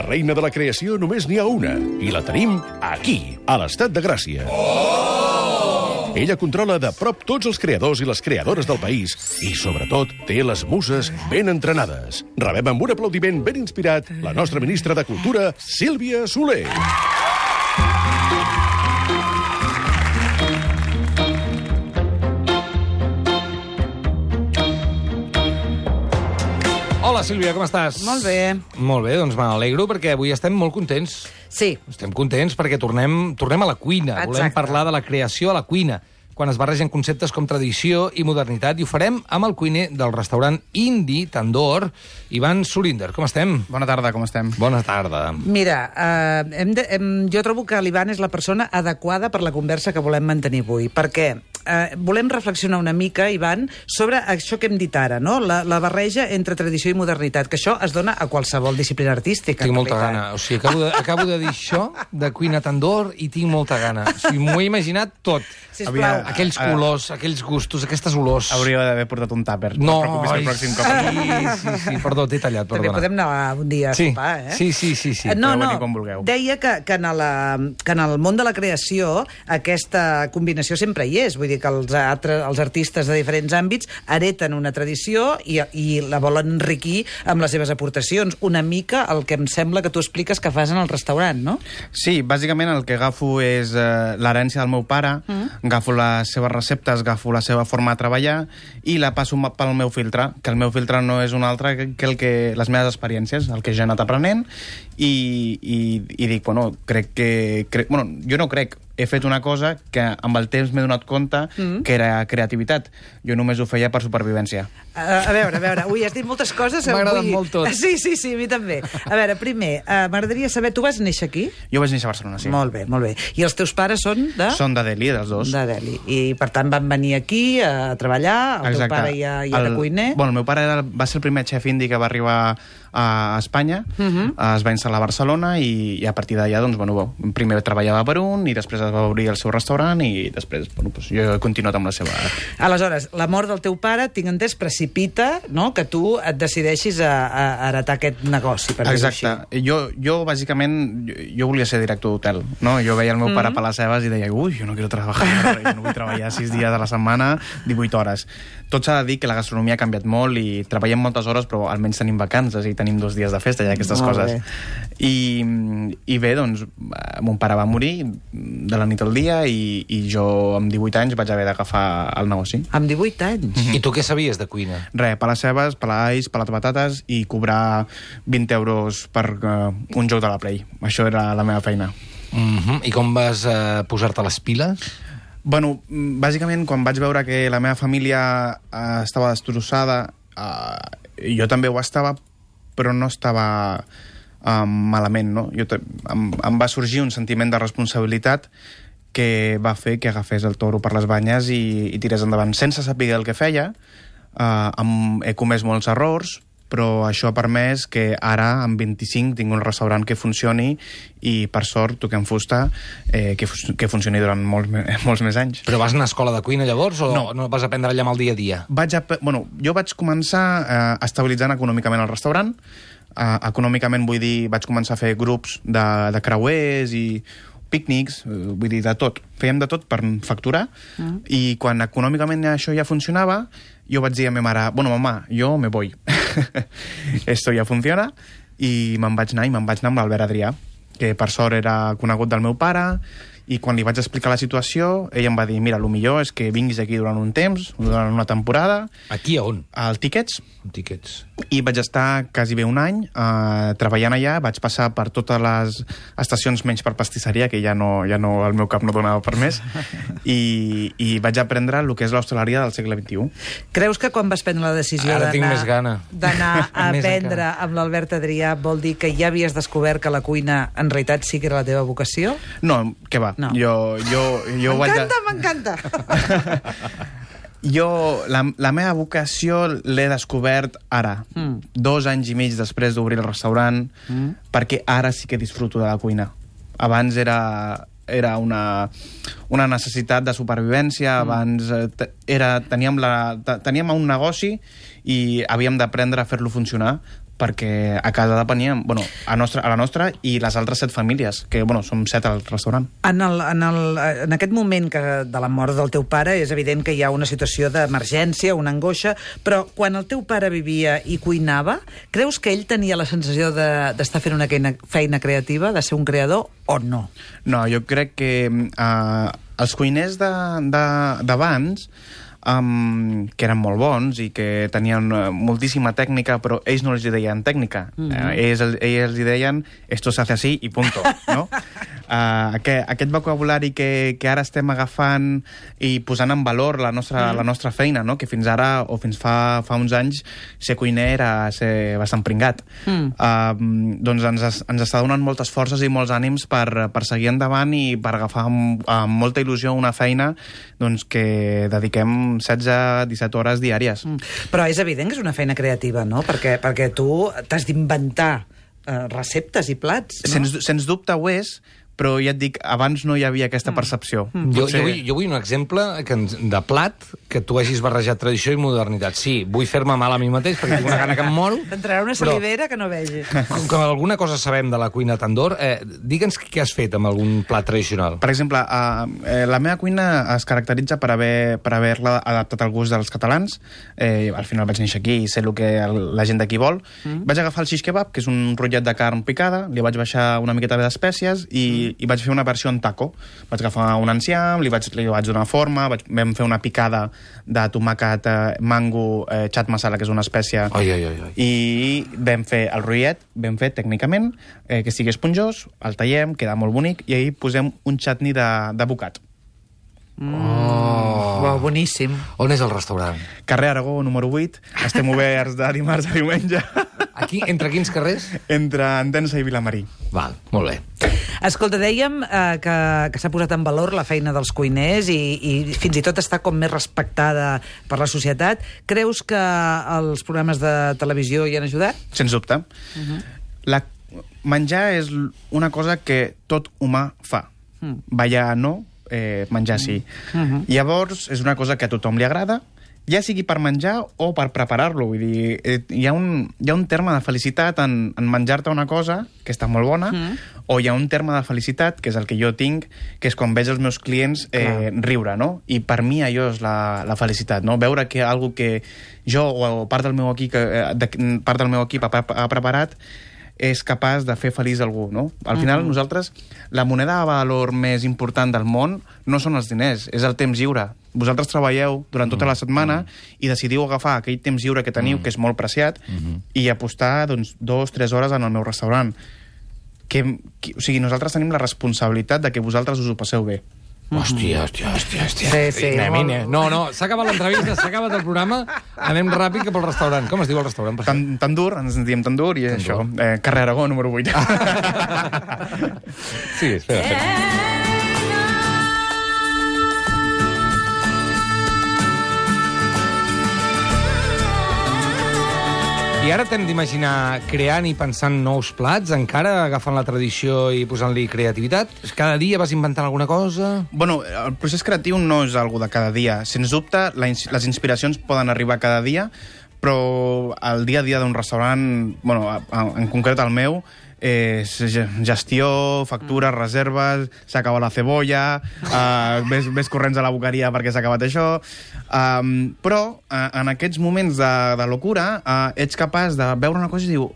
reina de la creació només n'hi ha una, i la tenim aquí, a l'Estat de Gràcia. Ella controla de prop tots els creadors i les creadores del país i, sobretot, té les muses ben entrenades. Rebem amb un aplaudiment ben inspirat la nostra ministra de Cultura, Sílvia Soler. Hola, Sílvia, com estàs? Molt bé. Molt bé, doncs me n'alegro perquè avui estem molt contents. Sí. Estem contents perquè tornem a la cuina. Exacte. Volem parlar de la creació a la cuina, quan es barregen conceptes com tradició i modernitat, i ho farem amb el cuiner del restaurant Indi Tandoor, Ivan Surinder. Com estem? Bona tarda, com estem? Bona tarda. Mira, jo trobo que l'Ivan és la persona adequada per la conversa que volem mantenir avui, perquè volem reflexionar una mica, Ivan, sobre això que hem dit ara, no? La barreja entre tradició i modernitat, que això es dona a qualsevol disciplina artística. Tinc molta gana. O sigui, acabo de dir això, de cuina Tandoor, i tinc molta gana. O sigui, m'ho he imaginat tot. Sisplau. Aquells colors, aquells gustos, aquestes olors. Hauria d'haver portat un tàper. No, et preocupis el pròxim cop. sí, perdó, t'he tallat, També perdona. podem anar un dia a sopar, eh? Sí. No, Podeu venir quan vulgueu. deia que en el món de la creació aquesta combinació sempre hi és. Vull dir que els artistes de diferents àmbits hereten una tradició i la volen enriquir amb les seves aportacions. Una mica el que em sembla que tu expliques que fas en el restaurant, no? Sí, bàsicament el que agafo és l'herència del meu pare, agafo les seves receptes, agafo la seva forma de treballar i la passo pel meu filtre, que el meu filtre no és un altre que les meves experiències, el que jo he anat aprenent, i dic, bueno, jo no crec, he fet una cosa que amb el temps m'he donat compte que era creativitat. Jo només ho feia per supervivència. A veure, ui, has dit moltes coses. M'agrada molt tot. Sí, a mi també. A veure, primer, m'agradaria saber, tu vas néixer aquí? Jo vaig néixer a Barcelona, sí. Molt bé. I els teus pares són de? Són de Delhi, dels dos. De Delhi. I, per tant, van venir aquí a treballar, el teu pare ja era cuiner. Bueno, el meu pare va ser el primer xef indi que va arribar a Espanya, es va instal·lar a Barcelona i a partir d'allà, doncs, bueno, primer treballava per un i després es va obrir el seu restaurant i després, bueno, doncs, jo he continuat amb la seva... Aleshores, la mort del teu pare, tinc entès, precipita, no?, que tu et decideixis a heretar aquest negoci, per dir-ho així. Exacte. Jo, bàsicament, jo volia ser director d'hotel, no? Jo veia el meu pare per les seves i deia, ui, jo no quiero trabajar, jo no vull treballar 6 dies a la setmana, 18 hores. Tot s'ha de dir que la gastronomia ha canviat molt i treballem moltes hores, però almenys tenim vacances i tenim 2 dies de festa i aquestes coses. I bé, doncs, mon pare va morir de la nit al dia i jo amb 18 anys vaig haver d'agafar el negoci. Amb 18 anys? I tu què sabies de cuina? Res, pelar cebes, pelar alls, pelar patates i cobrar 20 euros per un joc de la Play. Això era la meva feina. I com vas posar-te les piles? Bueno, bàsicament, quan vaig veure que la meva família estava destrossada, jo també ho estava, però no estava malament, no? Em va sorgir un sentiment de responsabilitat que va fer que agafés el toro per les banyes i tirés endavant. Sense saber el que feia, he comès molts errors, però això ha permès que ara, amb 25, tinc un restaurant que funcioni i, per sort, toquem fusta, que funcioni durant molts més anys. Però vas anar a escola de cuina llavors o no vas aprendre allà amb el dia a dia? Jo vaig començar estabilitzant econòmicament el restaurant. Econòmicament, vull dir, vaig començar a fer grups de creuers i pícnics, vull dir, de tot. Fèiem de tot per facturar i quan econòmicament això ja funcionava, jo vaig dir a meva mare, bueno, mamà, jo me voy. Esto ja funciona i me'n vaig anar amb l'Albert Adrià, que per sort era conegut del meu pare, i quan li vaig explicar la situació, ell em va dir, mira, el millor és que vinguis aquí durant un temps, durant una temporada. Aquí a on? Al Tickets. Tickets. I vaig estar quasi bé un any treballant allà, vaig passar per totes les estacions menys per pastisseria, que ja no el meu cap no donava per més, i vaig aprendre el que és l'hostaleria del segle XXI. Creus que quan vas prendre la decisió d'anar a aprendre amb l'Albert Adrià vol dir que ja havies descobert que la cuina en realitat sí que era la teva vocació? No, què va. No. M'encanta! Jo, la meva vocació l'he descobert ara, 2 anys i mig després d'obrir el restaurant, perquè ara sí que disfruto de la cuina. Abans era una necessitat de supervivència, abans teníem un negoci i havíem d'aprendre a fer-lo funcionar, perquè a casa depeníem, a la nostra i les altres 7 famílies, que, som 7 al restaurant. En aquest moment de la mort del teu pare és evident que hi ha una situació d'emergència, una angoixa, però quan el teu pare vivia i cuinava, creus que ell tenia la sensació d'estar fent una feina creativa, de ser un creador, o no? No, jo crec que els cuiners d'abans, que eren molt bons i que tenien moltíssima tècnica, però ells no els deien tècnica. Ells els deien esto se hace así i punto, no? Aquest vocabulari que ara estem agafant i posant en valor la nostra feina, no? Que fins ara, o fins fa uns anys, ser cuiner era ser bastant pringat. Doncs ens està donant moltes forces i molts ànims per seguir endavant i per agafar amb molta il·lusió una feina que dediquem 16-17 hores diàries. Però és evident que és una feina creativa, no? Perquè tu t'has d'inventar receptes i plats, no? Sens dubte ho és, però ja et dic, abans no hi havia aquesta percepció. Jo vull un exemple de plat que tu hagis barrejat tradició i modernitat. Sí, vull fer-me mal a mi mateix perquè tinc una gana que em moro. T'entrarà una salivera que no vegi. Com que alguna cosa sabem de la cuina Tandoor, digue'ns què has fet amb algun plat tradicional. Per exemple, la meva cuina es caracteritza per haver-la adaptat al gust dels catalans. Al final vaig néixer aquí i sé el que la gent d'aquí vol. Vaig agafar el shish kebab, que és un rotllet de carn picada, li vaig baixar una miqueta d'espècies i vaig fer una versió en taco. Vaig agafar un enciam, li vaig donar forma, vam fer una picada de tomàquet, mango, chat masala, que és una espècie, i vam fer el rotllet, ben fet tècnicament, que sigui esponjós, el tallem, queda molt bonic, i ahir posem un chutney d'avocat. Uau, boníssim. On és el restaurant? Carrer Aragó, número 8. Estem oberts de dimarts a diumenge. Aquí, entre quins carrers? Entre Entença i Vilamarí. Val, molt bé. Escolta, dèiem que s'ha posat en valor la feina dels cuiners i fins i tot està com més respectada per la societat. Creus que els programes de televisió hi han ajudat? Sens dubte. Menjar és una cosa que tot humà fa. Ballar no, menjar sí. Llavors, és una cosa que a tothom li agrada, ja sigui per menjar o per preparar-lo. Vull dir, hi ha un terme de felicitat en menjar-te una cosa que està molt bona, o hi ha un terme de felicitat, que és el que jo tinc, que és quan veig els meus clients riure, no? I per mi allò és la felicitat, no? Veure que algo que jo o part del meu equip ha preparat és capaç de fer feliç algú, no? Al final, nosaltres, la moneda de valor més important del món no són els diners, és el temps lliure. Vosaltres treballeu durant tota la setmana i decidiu agafar aquell temps lliure que teniu, que és molt preciat, i apostar 2-3 hores en el meu restaurant. O sigui, nosaltres tenim la responsabilitat de que vosaltres us ho passeu bé. Hòstia. Sí. No, s'ha acabat l'entrevista, s'ha acabat el programa, anem ràpid cap al restaurant. Com es diu el restaurant? Tandoor, ens diem Tandoor, i això, carrer Aragó, número 8. Sí, espera. I ara t'hem d'imaginar creant i pensant nous plats, encara agafant la tradició i posant-li creativitat? Cada dia vas inventant alguna cosa? Bueno, el procés creatiu no és algo de cada dia. Sens dubte, les inspiracions poden arribar cada dia, però el dia a dia d'un restaurant, bueno, en concret el meu, gestió, factures, reserves, s'ha acabat la cebolla, ves corrents a la boqueria perquè s'ha acabat això, però en aquests moments de locura ets capaç de veure una cosa i diu,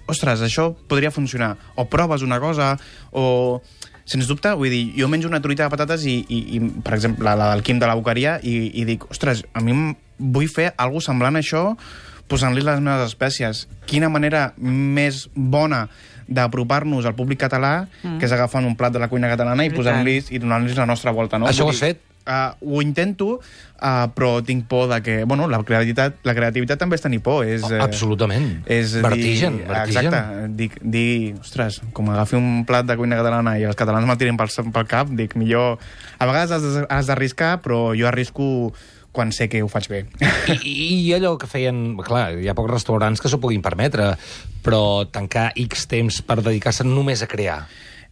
ostres, això podria funcionar, o proves una cosa, o... Sens dubte, vull dir, jo menjo una truita de patates i per exemple, la del Quim de la boqueria, i dic, ostres, a mi vull fer alguna cosa semblant a això posant-li les meves espècies. Quina manera més bona d'apropar-nos al públic català, que és agafant un plat de la cuina catalana i posant-los i donant-los la nostra volta, no? Això ho has fet? Ho intento, però tinc por de que... Bueno, la creativitat també és tenir por. Absolutament. Vertigen. Exacte. Dir, ostres, com agafi un plat de cuina catalana i els catalans me'l tiren pel cap, dic, millor... A vegades has d'arriscar, però jo arrisco quan sé que ho faig bé. I allò que feien... Clar, hi ha pocs restaurants que s'ho puguin permetre, però tancar X temps per dedicar-se només a crear.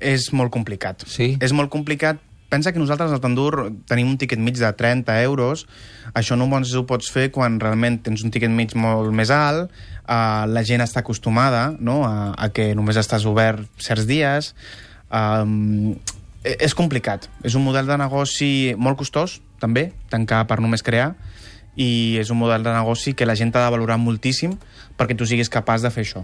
És molt complicat. Sí? És molt complicat pensa que nosaltres al tandoor tenim un tiquet mig de 30 euros. Això només ho pots fer quan realment tens un tiquet mig molt més alt, la gent està acostumada, no?, a que només estàs obert certs dies. És complicat. És un model de negoci molt costós, també, tancar per només crear, i és un model de negoci que la gent ha de valorar moltíssim perquè tu siguis capaç de fer això.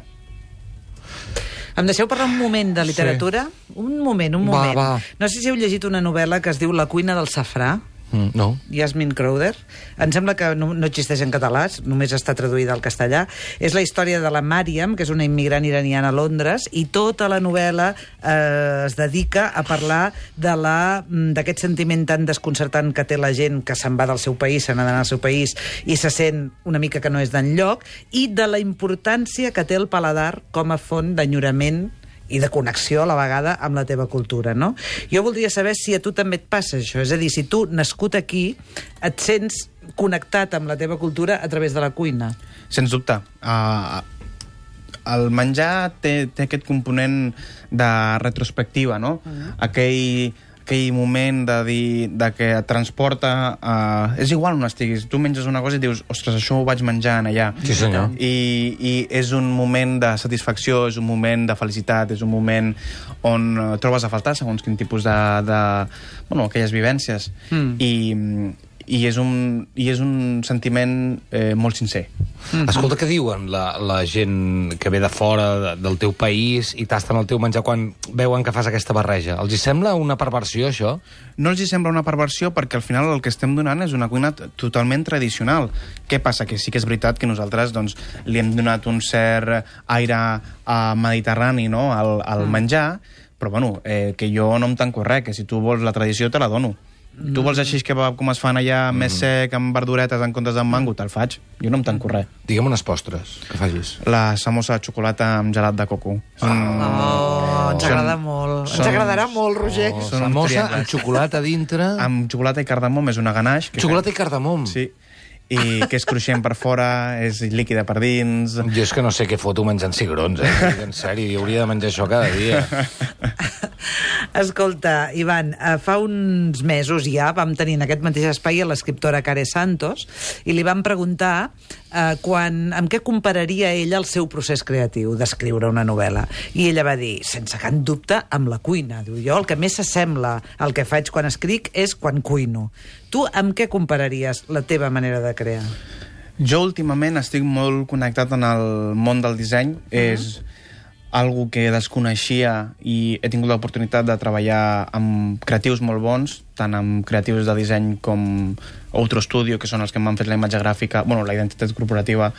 Em deixeu parlar un moment de literatura? Sí. Un moment. Va. No sé si heu llegit una novel·la que es diu La cuina del safrà. No. Yasmin Crowther. Em sembla que no existeix en català, només està traduïda al castellà. És la història de la Mariam, que és una immigrant iraniana a Londres, i tota la novel·la es dedica a parlar d'aquest sentiment tan desconcertant que té la gent que se'n va del seu país, se n'ha d'anar al seu país, i se sent una mica que no és d'enlloc, i de la importància que té el paladar com a font d'enyorament i de connexió a la vegada amb la teva cultura, no? Jo voldria saber si a tu també et passa això, és a dir, si tu, nascut aquí, et sents connectat amb la teva cultura a través de la cuina. Sens dubte. El menjar té aquest component de retrospectiva, no? Aquell moment de dir que et transporta... és igual on estiguis. Tu menges una cosa i dius, ostres, això ho vaig menjar allà. Sí, senyor. I és un moment de satisfacció, és un moment de felicitat, és un moment on trobes a faltar segons quin tipus bueno, aquelles vivències. I és un sentiment molt sincer. Escolta, què diuen la gent que ve de fora del teu país i tasten el teu menjar quan veuen que fas aquesta barreja? Els hi sembla una perversió, això? No els hi sembla una perversió perquè al final el que estem donant és una cuina totalment tradicional. Què passa? Que sí que és veritat que nosaltres doncs, li hem donat un cert aire mediterrani, no?, al menjar, però bueno, que jo no em tanco res, que si tu vols la tradició te la dono. Tu vols així que com es fan allà més sec, amb verduretes en comptes amb mango, te'l faig. Jo no em tanco res. Digue'm unes postres que facis. La samosa de xocolata amb gelat de coco. Ens agrada molt. Ens agradarà molt, Roger. Samosa amb xocolata dintre... Amb xocolata i cardamom, és una ganache. Xocolata i cardamom? Sí. I que és cruixent per fora, és líquida per dins... Jo és que no sé què foto menjant cigrons, En sèrio, jo hauria de menjar això cada dia. Escolta, Ivan, fa uns mesos ja vam tenir en aquest mateix espai a l'escriptora Care Santos i li vam preguntar amb què compararia ella el seu procés creatiu d'escriure una novel·la. I ella va dir, sense cap dubte, amb la cuina. Diu, jo el que més s'assembla al que faig quan escric és quan cuino. Tu amb què compararies la teva manera de crear? Jo últimament estic molt connectat en el món del disseny. És algo que desconeixia i he tingut l'oportunitat de treballar amb creatius molt bons, tant amb creatius de disseny com Outro Studio, que són els que m'han fet la imatge gràfica, bueno, la identitat corporativa,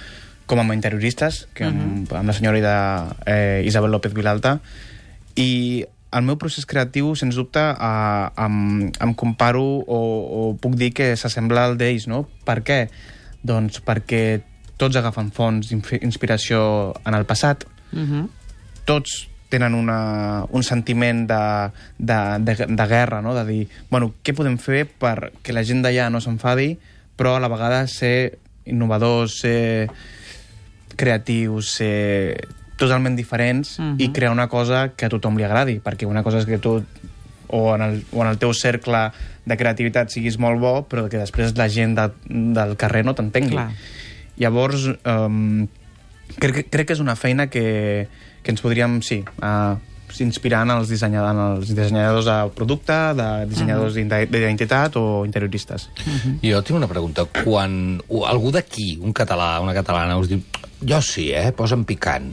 com amb interioristes, que amb la senyora Isabel López Vilalta. I el meu procés creatiu, sens dubte, em comparo o puc dir que s'assembla al d'ells, no? Per què? Doncs perquè tots agafen fonts d'inspiració en el passat, tots tenen un sentiment de guerra, no? De dir, bueno, què podem fer perquè la gent d'allà no s'enfadi, però a la vegada ser innovadors, ser creatius, ser totalment diferents i crear una cosa que a tothom li agradi, perquè una cosa és que tu o en el teu cercle de creativitat siguis molt bo, però que després la gent del carrer no t'entengui. Llavors, crec que és una feina que ens podríem, inspirar en els dissenyadors de producte, de dissenyadors d'identitat o interioristes. Jo tinc una pregunta. Quan algú d'aquí, un català, una catalana, us diu, jo sí, posa'm picant.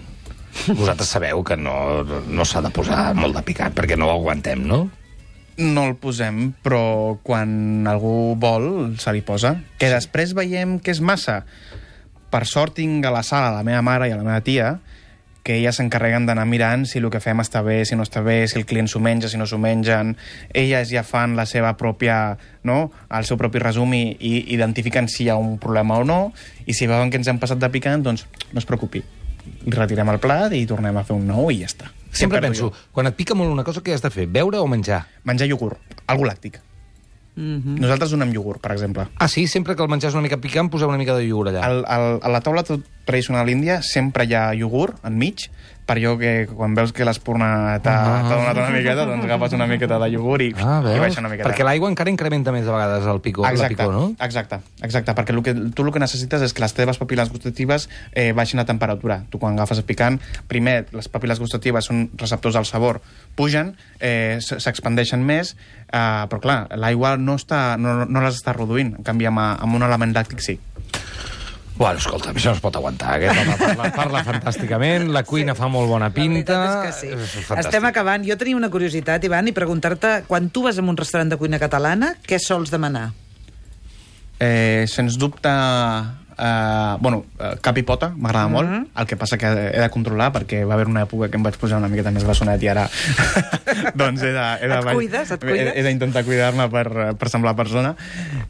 Vosaltres sabeu que no s'ha de posar molt de picant, perquè no ho aguantem, no? No el posem, però quan algú vol, se li posa. Que després veiem que és massa. Per sort tinc a la sala la meva mare i la meva tia, que elles s'encarreguen d'anar mirant si el que fem està bé, si no està bé, si el client s'ho menja, si no s'ho mengen. Elles ja fan la seva pròpia, no?, el seu propi resum i identifiquen si hi ha un problema o no, i si veuen que ens hem passat de picant, doncs no es preocupi. Retirem el plat i tornem a fer un nou i ja està. Sempre penso, quan et pica molt una cosa, què has de fer? Beure o menjar? Menjar iogurt, algo làctic. Nosaltres donem iogurt, per exemple. Ah, sí? Sempre que el menjar és una mica picant, poseu una mica de iogurt allà. A la taula tradicional índia sempre hi ha iogurt enmig, per allò que quan veus que l'espurna t'ha donat una miqueta, doncs agafes una miqueta de iogurt i baixa una miqueta. Perquè l'aigua encara incrementa més de vegades el picor, la picor, no? Exacte, perquè tu el que necessites és que les teves papil·les gustatives baixin la temperatura. Tu quan agafes el picant, primer les papil·les gustatives són receptors del sabor, pugen, s'expandeixen més, però clar, l'aigua no les està reduint, en canvi amb un element làctic sí. Bueno, escolta, això no es pot aguantar. Aquest home parla fantàsticament, la cuina fa molt bona pinta... La veritat és que sí. Estem acabant. Jo tenia una curiositat, Ivan, i preguntar-te, quan tu vas a un restaurant de cuina catalana, què sols demanar? Sens dubte... cap i pota, m'agrada molt. El que passa que he de controlar, perquè va haver una època que em vaig posar una miqueta més bessonet i ara... doncs Et cuides? He d'intentar cuidar-me per semblar persona.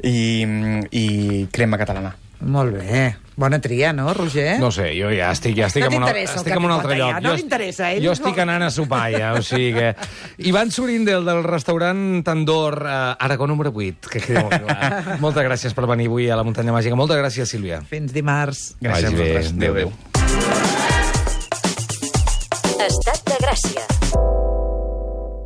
I crema catalana. Molt bé. Bona tria, no, Roger? No sé, jo ja estic en un altre lloc. No t'interessa, Jo estic anant a sopar, ja, o sigui que... Ivan Surindel, del restaurant Tandor, Aragó número 8, que quedi molt clar. Moltes gràcies per venir avui a la Muntanya Màgica. Moltes gràcies, Sílvia. Fins dimarts. Gràcies a vosaltres. Adéu. Estat de Gràcia.